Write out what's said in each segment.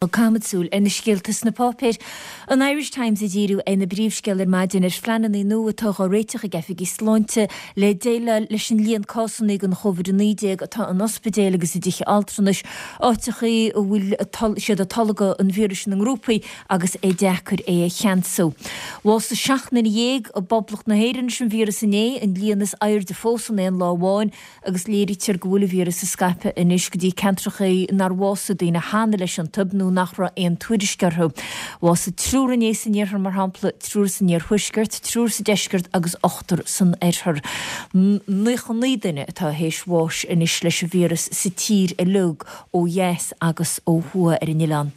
Caithfimid súil ar na scéalta sna páipéir. An Irish Times ag díriú ina bpríomhscéal ar maidin ar phleananna nua atá á réiteach ag oifigigh sláinte le déileáil leis an líon cásanna den Chóvid-19 atá in ospidéil agus i dtithe altranais, áiteachaí a bhfuil siad ag tolgadh an víris ina ngrúpaí agus é deacair é a cheansú. Bhásaigh 17 nduine i bPoblacht na hÉireann leis an víreas inné, an líon is airde fós in aon lá amháin, agus léirítear go bhfuil an víreas ag scaipeadh anois go dtí ceantracha nár bhásaigh daoine cheana leis iontu nó nach raibh aon tuairisc orthu. Bhásaigh triúr inné san iarthar, mar shampla, triúr san iarthuaisceart, triúr sa deisceart agus ochtar san oirthear. 99 duine atá théis bháis anois leis an víreas sa tír uilig, ó dheas agus ó thuaidh ar an oileán.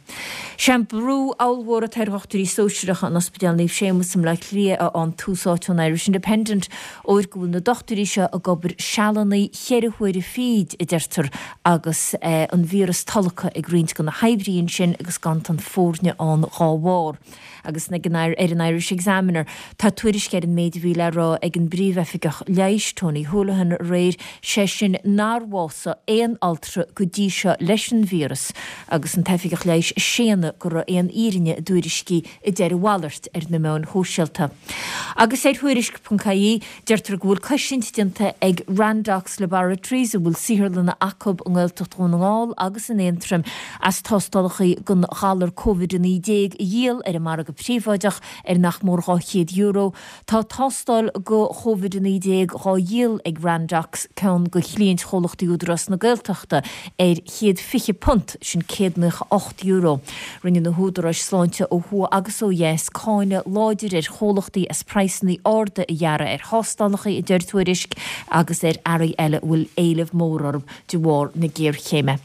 Sé an brú ollmhór atá ar dhochtúirí sóisearacha in Ospidéal Naomh Séamus i mBleá Cliath a fhaigheann Tús Áite ón Irish Independent, óir go bhfuil na dochtúirí seo ag obair sealanna cheithre huaire fichid, a deirtear, agus an víreas tolgtha ag roinnt de na hoibrithe ansin agus ganntan foirne ann dhá bharr. Agus ag an ar an Irish Examiner tá tuairisc ar an méid a bhí le rá ag an bPríomhoifigeach Leighis, Tony Holohan, aréir, sé sin nár bhásaigh aon altra go dtí seo leis an víreas agus an t-oifigeach leighis ag séanadh go raibh aon fhírinne i dtuairiscí a deir a mhalairt ar na meáin shóisialta. Agus ar Thuairisc.ie, deirtear go bhfuil cosaint déanta ag Randox Laboratories, a bhfuil saotharlanna acu i nGaeltacht Dhún na nGall agus in Aontroim, as tástálacha don ghalar Covid-19 a dhíol ar an margadh príobháideach ar nach mór €200. Tá tástáil do Chovid-19 dhá dhíol ag Randox, ceann de chliaint chomhlachtaí Údarás na Gaeltachta, ar £120, sin €198. Rinne na húdaráis sláinte ó thuaidh agus ó dheas cáineadh láidir ar chomhlachtaí as praghsanna arda a ghearradh ar thástálacha, a deir Tuairisc, agus ar earraí eile a bhfuil éileamh mór orthu de bharr na géarchéime.